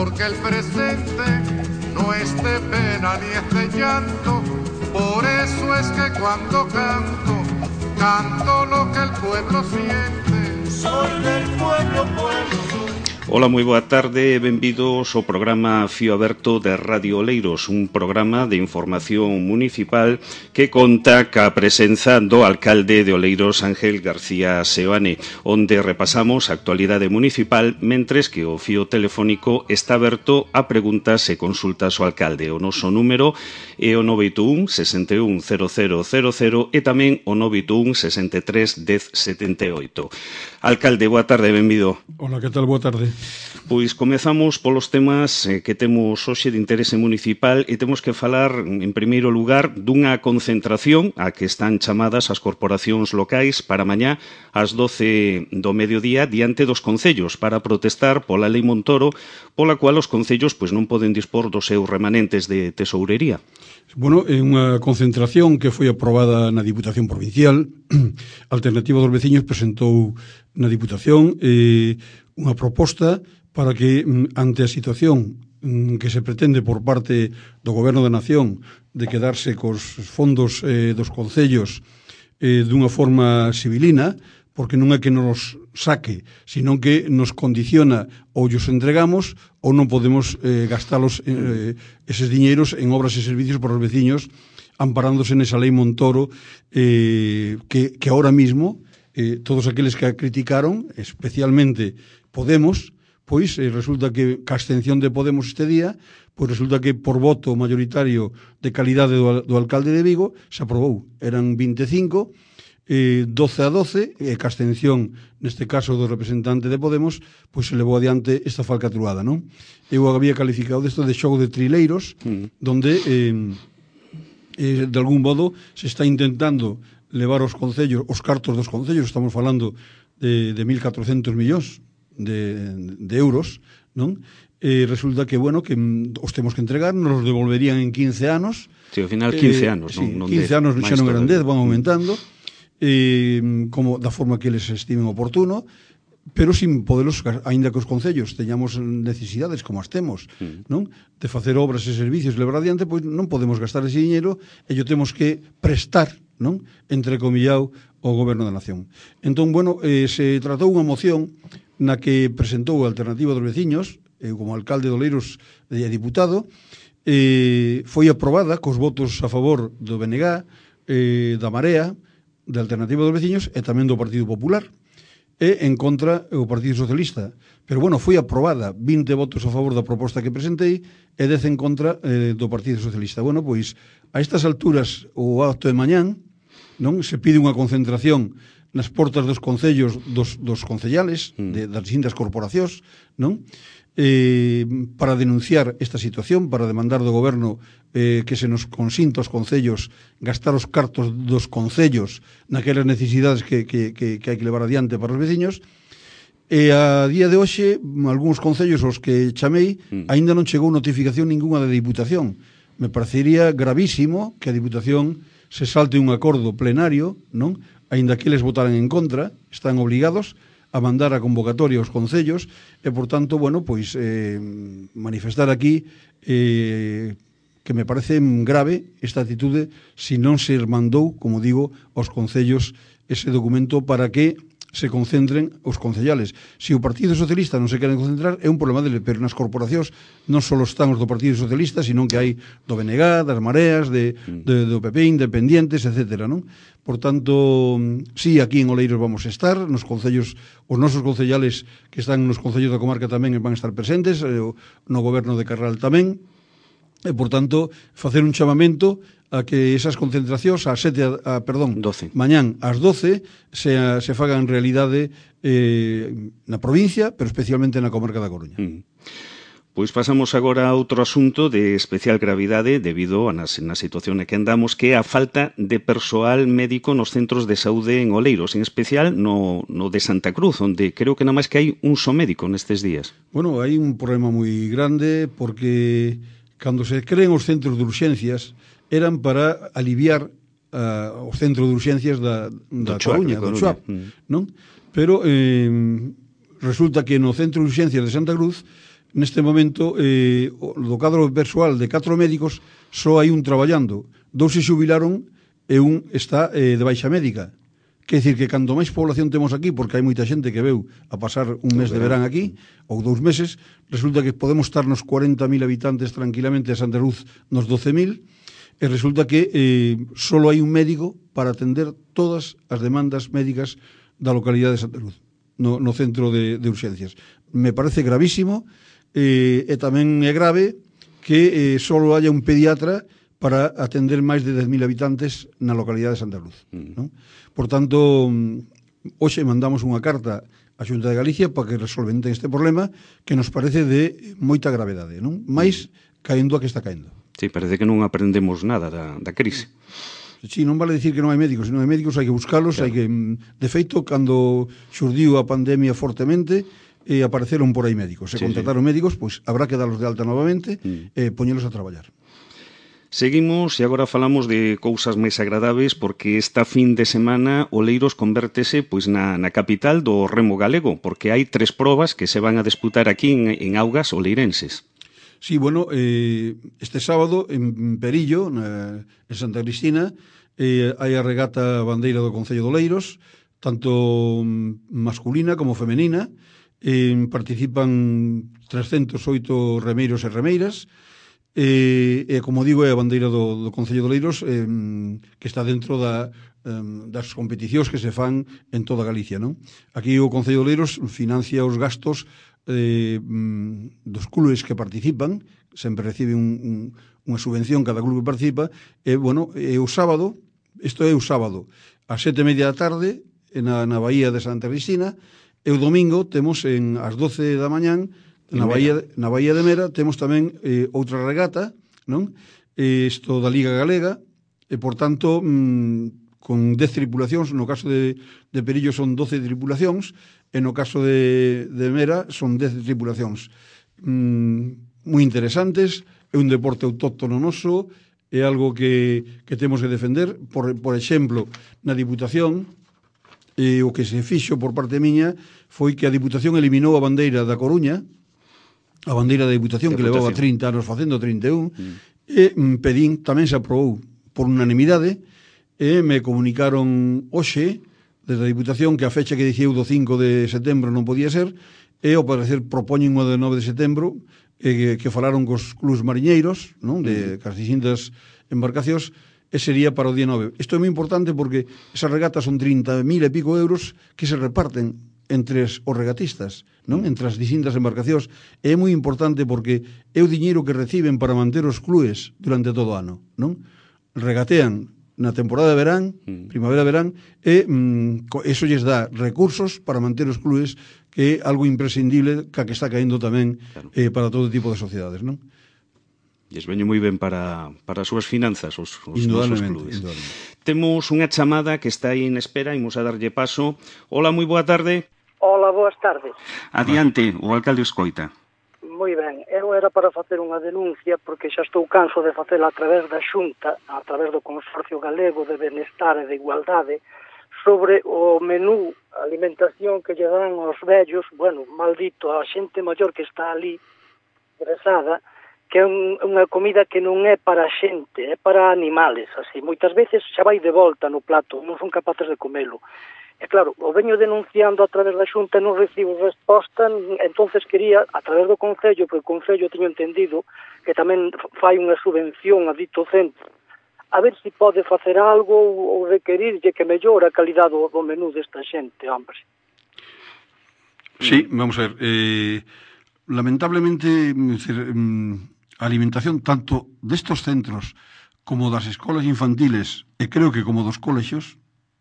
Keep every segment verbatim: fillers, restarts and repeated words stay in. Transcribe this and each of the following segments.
porque el presente no es de pena ni es de llanto. Por eso es que cuando canto, canto lo que el pueblo siente. Soy del pueblo, pueblo. Ola, moi boa tarde e benvidos ao programa Fío Aberto de Radio Oleiros, un programa de información municipal que conta ca presenza do alcalde de Oleiros, Ángel García Seoane, onde repasamos a actualidade municipal, mentres que o fío telefónico está aberto a preguntas e consultas ao alcalde. O noso número é o nove oito un, sesenta e un, cero cero cero cero e tamén o nove oito un, sesenta e tres, dez, setenta e oito. Alcalde, boa tarde, benvido. Hola, que tal? Boa tarde. Pois comezamos polos temas eh, que temos hoxe de interese municipal e temos que falar, en primeiro lugar, dunha concentración a que están chamadas as corporacións locais para mañá ás doce do mediodía diante dos concellos para protestar pola Lei Montoro, pola cual os concellos pois non poden dispor dos seus remanentes de tesourería. Bueno, é unha concentración que foi aprobada na Diputación Provincial. Alternativa dos Veciños presentou na Diputación eh, unha proposta para que, ante a situación que se pretende por parte do Goberno da Nación de quedarse cos fondos eh, dos concellos eh, dunha forma civilina, porque non é que nos saque, sino que nos condiciona ou os entregamos ou non podemos eh, gastalos eh, eses diñeiros en obras e servicios para os veciños, amparándose nesa Lei Montoro eh, que, que ahora mismo eh, todos aqueles que a criticaron, especialmente Podemos, pois eh, resulta que ca abstención de Podemos este día, pois resulta que por voto mayoritario de calidade do, do alcalde de Vigo se aprobou. Eran vinte e cinco, eh, doce a doce, e ca abstención, neste caso do representante de Podemos, pois se levou adiante esta falcatruada, non? Eu había calificado desto de xogo de trileiros, mm. donde eh, eh, de algún modo se está intentando levar os concellos, os cartos dos concellos, estamos falando de, de mil catrocentos millóns de, de euros, non? E resulta que, bueno, que os temos que entregar, nos devolverían en quince anos. Sí, ao final quince anos, eh, non? Sí, quince anos xa non eran dez, van aumentando, eh, como da forma que eles estimen oportuno, pero sin podelos, aínda que os concellos teñamos necesidades como as temos, mm. non? De facer obras e servicios levar adiante, pois non podemos gastar ese diñeiro e yo temos que prestar, non? Entrecomillado ao Goberno da Nación. Entón, bueno, eh, se tratou unha moción na que presentou a Alternativa dos Veciños, eu como alcalde de Oleiros e diputado, eh, foi aprobada cos votos a favor do B N G, eh, da Marea, da Alternativa dos Veciños e tamén do Partido Popular, e en contra o Partido Socialista. Pero, bueno, foi aprobada, vinte votos a favor da proposta que presentei e dez en contra eh, do Partido Socialista. Bueno, pois, a estas alturas, o acto de mañán, non se pide unha concentración nas portas dos concellos dos, dos concellales, de, das distintas corporacións, non? Eh, para denunciar esta situación, para demandar do goberno eh, que se nos consinta os concellos gastar os cartos dos concellos naquelas necesidades que, que, que, que hai que levar adiante para os veciños. E a día de hoxe, algúns concellos aos que chamei, aínda non chegou notificación ninguna da Diputación. Me parecería gravísimo que a Diputación se salte un acordo plenario, non? Aínda que eles votaran en contra, están obligados a mandar a convocatoria aos concellos e, por tanto, bueno, pois eh, manifestar aquí eh, que me parece grave esta actitude si non se mandou, como digo, aos concellos ese documento para que se concentren os concellales. Se o Partido Socialista non se queren concentrar é un problema dele, pero nas corporacións non só están os do Partido Socialista, sino que hai do B N G, das Mareas, de, de, do P P, independientes, etcétera, non? Por tanto, sí, aquí en Oleiros vamos a estar, nos concellos, os nosos concellales que están nos concellos da comarca tamén van a estar presentes, no goberno de Carral tamén, e, por tanto, facer un chamamento a que esas concentracións a sete, a, a, perdón, doce. Mañán ás doce se, a, se fagan realidade eh, na provincia, pero especialmente na comarca da Coruña. Mm. Pois pasamos agora a outro asunto de especial gravidade debido a na, na situación en que andamos, que é a falta de persoal médico nos centros de saúde en Oleiros, en especial no, no de Santa Cruz, onde creo que nada máis que hai un só médico nestes días. Bueno, hai un problema moi grande porque cando se creen os centros de urxencias eran para aliviar uh, os centros de urxencias da, da Coruña, do Chuap, mm. non? Pero eh, resulta que no centro de urxencias de Santa Cruz neste momento, eh, do cadro persoal de catro médicos, só hai un traballando. Dous se xubilaron e un está eh, de baixa médica. Quer dicir que cando máis población temos aquí, porque hai moita xente que veu a pasar un mes de verán aquí, ou dous meses, resulta que podemos estar nos cuarenta mil habitantes tranquilamente, a Santa Luz nos doce mil, e resulta que eh, só hai un médico para atender todas as demandas médicas da localidade de Santa Luz, no, no centro de, de urxencias. Me parece gravísimo, eh, e tamén é grave que eh, só haya un pediatra para atender máis de dez mil habitantes na localidade de Santa Luz. Mm. Non? Por tanto, hoxe mandamos unha carta á Xunta de Galicia para que resolventen este problema que nos parece de moita gravedade, non? Mais caendo a que está caendo. Sí, parece que non aprendemos nada da, da crise. Sí, non vale dicir que non hai médicos, se non hai médicos hai que buscalos, claro. Hai que, de feito, cando xurdiu a pandemia fortemente, e apareceron por aí médicos, se sí, contrataron sí. médicos, pois habrá que darlos de alta novamente mm. e poñelos a traballar. Seguimos e agora falamos de cousas máis agradables porque esta fin de semana Oleiros convértese pois na, na capital do remo galego, porque hai tres probas que se van a disputar aquí en, en augas oleirenses. Sí, bueno, eh, este sábado en Perillo, na, en Santa Cristina, eh, hai a regata bandeira do Concello de Oleiros, tanto masculina como femenina. Eh, participan trescentos oito remeiros e remeiras, e, e como digo, é a bandeira do, do Concello de Oleiros eh, que está dentro da, eh, das competicións que se fan en toda Galicia, non? Aquí o Concello de Oleiros financia os gastos eh, dos clubes que participan, sempre recibe un, un, unha subvención cada clube que participa, e, bueno, e o sábado, isto é o sábado, a sete e media da tarde, na, na Bahía de Santa Cristina, e o domingo temos en as doce da mañán na Bahía, na Bahía de Mera temos tamén eh, outra regata, non? Isto da Liga Galega, e por tanto mm, con dez tripulacións, no caso de, de Perillo son doce tripulacións, e no caso de, de Mera son dez tripulacións. Mm, moi interesantes, é un deporte autóctono noso, é algo que, que temos que defender. Por, por exemplo, na Diputación, e o que se fixo por parte miña foi que a Diputación eliminou a bandeira da Coruña, a bandeira da Diputación, que levaba trinta anos facendo, trinta e un, mm. e mm, pedín, tamén se aprobou por unanimidade, e me comunicaron hoxe, desde a Diputación, que a fecha que dicía do cinco de setembro non podía ser, e ao parecer propoñen o de nove de setembro, e, que, que falaron cos clubs mariñeiros, non? De mm. cas distintas embarcacións, e sería para o día nove. Isto é moi importante porque esas regatas son trinta mil e pico euros que se reparten entre os regatistas, non? Entre as distintas embarcacións. E é moi importante porque é o diñeiro que reciben para manter os clubes durante todo o ano, non? Regatean na temporada de verán, primavera-verán, e mm, eso lles dá recursos para manter os clubes, que é algo imprescindible ca que está caendo tamén claro. eh, para todo tipo de sociedades, non? E es veño moi ben para, para as súas finanzas, os, os nosos clubes. Temos unha chamada que está aí en espera, imos a darlle paso. Hola, moi boa tarde. Hola, boas tardes. Adiante, o alcalde escoita. Moi ben, eu era para facer unha denuncia porque xa estou canso de facela a través da Xunta, a través do Consorcio Galego de Benestar e de Igualdade, sobre o menú alimentación que lle dan aos vellos, bueno, maldito, a xente maior que está ali, ingresada, que é un, unha comida que non é para a xente, é para animales, así. Moitas veces xa vai de volta no plato, non son capaces de comelo. E claro, o veño denunciando a través da Xunta, non recibo resposta, entonces quería, a través do Concello, porque o Concello teño entendido que tamén fai unha subvención a dito centro, a ver se si pode facer algo ou requerirlle que mellore a calidade do, do menú desta xente, hombre. Sí, vamos a ver, eh, lamentablemente, decir, a alimentación tanto destos centros como das escolas infantiles, e creo que como dos colexios,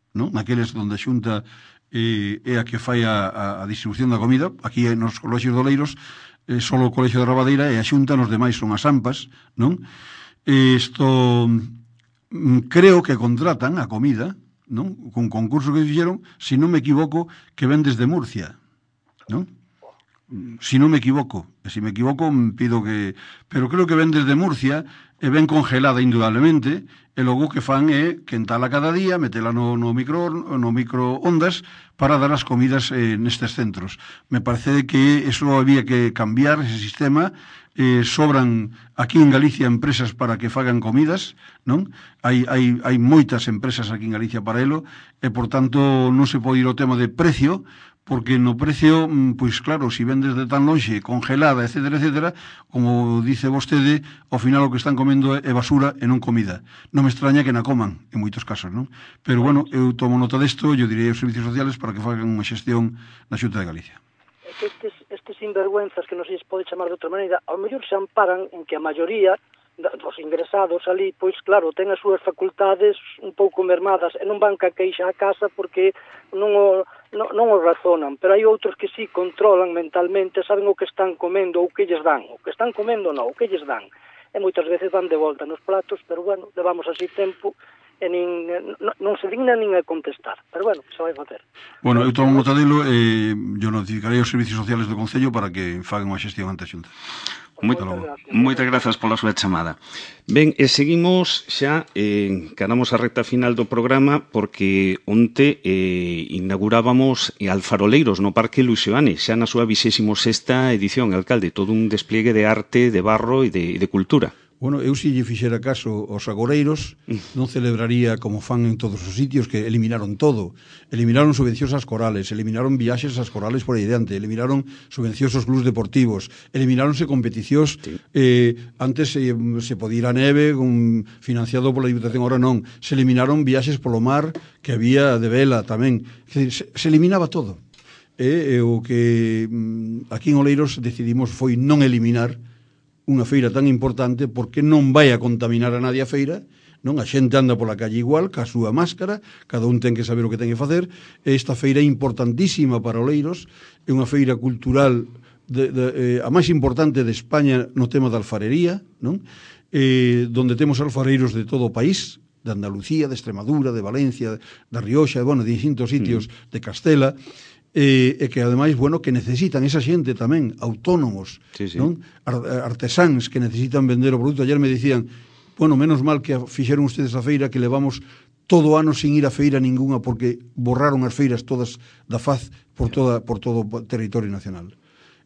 non? Naqueles onde a Xunta eh, é a que fai a, a distribución da comida, aquí nos colexios de Oleiros, eh, só o colexio de Rabadeira, e a Xunta nos demais son as AMPAs, non? Isto creo que contratan a comida, non? Con concurso que fixeron, se non me equivoco, que ven desde Murcia, non? si non me equivoco, e se me equivoco pido que... Pero creo que ven desde Murcia, e ven congelada indudablemente, e logo que fan é quentala cada día, metela no, no, micro, no microondas para dar as comidas eh, nestes centros. Me parece que eso había que cambiar, ese sistema. Eh, sobran aquí en Galicia empresas para que fagan comidas, non? Hai, hai, hai moitas empresas aquí en Galicia para elo, e por tanto non se pode ir ao tema de precio, porque no precio, pois claro, se vendes de tan lonxe, congelada, etcétera, etcétera, como dice vostede, ao final o que están comendo é basura e non comida. Non me extraña que na coman, en moitos casos, non? Pero, bueno, eu tomo nota desto, eu direi aos servicios sociales para que fagan unha xestión na Xunta de Galicia. Estes, estes sinvergüenzas, que non se pode chamar de outra maneira, ao mellor se amparan en que a maioría dos ingresados ali, pois claro, ten as súas facultades un pouco mermadas e non van ca queixa a casa porque non o, non, non o razonan, pero hai outros que sí controlan mentalmente, saben o que están comendo ou que lles dan, o que están comendo non, o que lles dan, e moitas veces van de volta nos platos, pero bueno, levamos así tempo e nin, non, non se digna nin a contestar, pero bueno, se vai facer. Bueno, eu tomo nota delo e eu notificarei aos servicios sociales do Concello para que fagan unha xestión ante a Xunta. Moita, moitas grazas pola súa chamada. Ben, e seguimos xa, eh, caramos a recta final do programa porque onte eh, inaugurábamos Alfaroleiros no Parque Luis Seoane, xa na súa vigésima sexta edición, alcalde, todo un despliegue de arte, de barro e de, de cultura. Bueno, eu se lle fixera caso aos agoreiros, non celebraría como fan en todos os sitios, que eliminaron todo. Eliminaron subvencións ás corales, eliminaron viaxes ás corales por aí diante, eliminaron subvencións aos clubs deportivos, elimináronse competicións, sí. eh, antes se, se podía ir a neve, un, financiado pola Diputación, ahora non. Se eliminaron viaxes polo mar, que había de vela tamén. Se, se eliminaba todo. E, e o que aquí en Oleiros decidimos foi non eliminar unha feira tan importante porque non vai a contaminar a nadie a feira, non? A xente anda pola calle igual, ca súa máscara, cada un ten que saber o que ten que facer. Esta feira é importantísima para Oleiros, é unha feira cultural de, de, eh, a máis importante de España no tema da alfarería, non? Eh, donde temos alfareiros de todo o país, de Andalucía, de Extremadura, de Valencia, da Rioxa, bueno, de distintos sitios mm. de Castela, e eh, que ademais, bueno, que necesitan esa xente tamén, autónomos, sí, sí. non? Artesáns que necesitan vender o produto. Ayer me dicían, bueno, menos mal que fixeron ustedes a feira, que levamos todo o ano sin ir a feira ninguna porque borraron as feiras todas da faz por toda por todo o territorio nacional.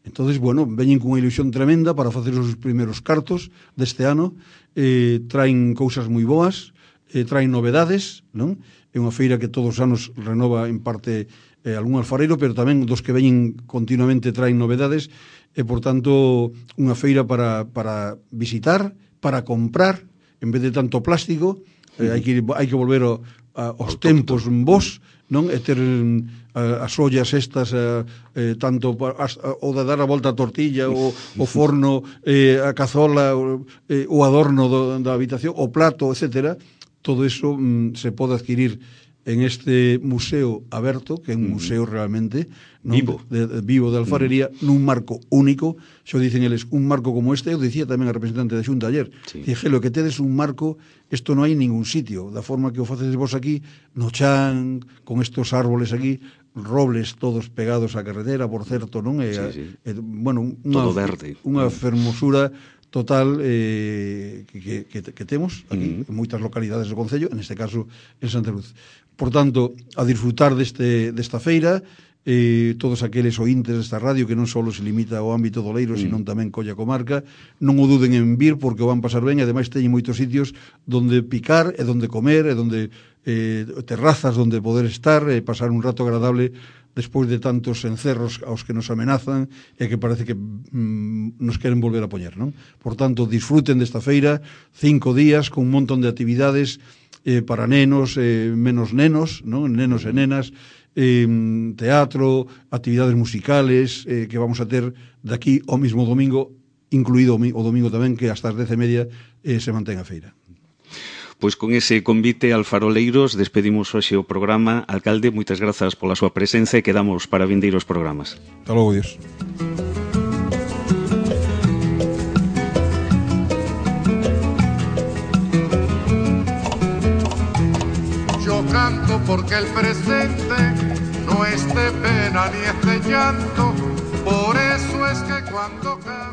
Entonces, bueno, veñen cunha ilusión tremenda para facer os primeiros cartos deste ano, eh, traen cousas moi boas, eh, traen novedades, non? É unha feira que todos os anos renova en parte eh, algún alfareiro, pero tamén dos que veñen continuamente traen novedades, e, por tanto, unha feira para, para visitar, para comprar, en vez de tanto plástico, eh, hai, que, hai que volver ao, a, aos tempos vos, non? E ter a, as ollas estas, a, eh, tanto as, a, o de dar a volta a tortilla, o, o forno, eh, a cazola, o, eh, o adorno do, da habitación, o plato, etcétera. Todo eso mm, se pode adquirir en este museo aberto, que é un museo realmente non? Vivo. De, de, vivo de alfarería, mm. nun marco único. Xo dicen eles, un marco como este, eu dicía tamén a representante da Xunta ayer, sí. Dije, lo que tedes un marco, isto non hai en ningún sitio, da forma que o facedes vos aquí, no chan, con estos árboles aquí, robles todos pegados á carretera, por certo, non? E, sí, sí. E, bueno, unha, todo verde. Unha fermosura total eh, que, que, que temos aquí, mm. en moitas localidades do Concello, en este caso en Santa Luz. Por tanto, a disfrutar deste, desta feira, eh, todos aqueles ointes desta radio que non só se limita ao ámbito do Leiro, mm. sino tamén colla comarca, non o duden en vir porque o van pasar ben, e ademais teñen moitos sitios donde picar e donde comer e donde eh, terrazas donde poder estar e pasar un rato agradable despois de tantos encerros aos que nos amenazan e que parece que mm, nos queren volver a poñer, non? Por tanto, disfruten desta feira, cinco días con un montón de actividades eh, para nenos, eh, menos nenos, non? Nenos e nenas, eh, teatro, actividades musicales eh, que vamos a ter daqui ao mismo domingo, incluído o domingo tamén, que hasta as dez e media eh, se mantén a feira. Pois con ese convite alfaroleiros despedimos hoxe o programa. Alcalde, moitas grazas pola súa presenza e quedamos para vindeiros programas. Hasta logo, Dios. Yo canto porque el presente no es de pena ni es de llanto, por eso cuando canto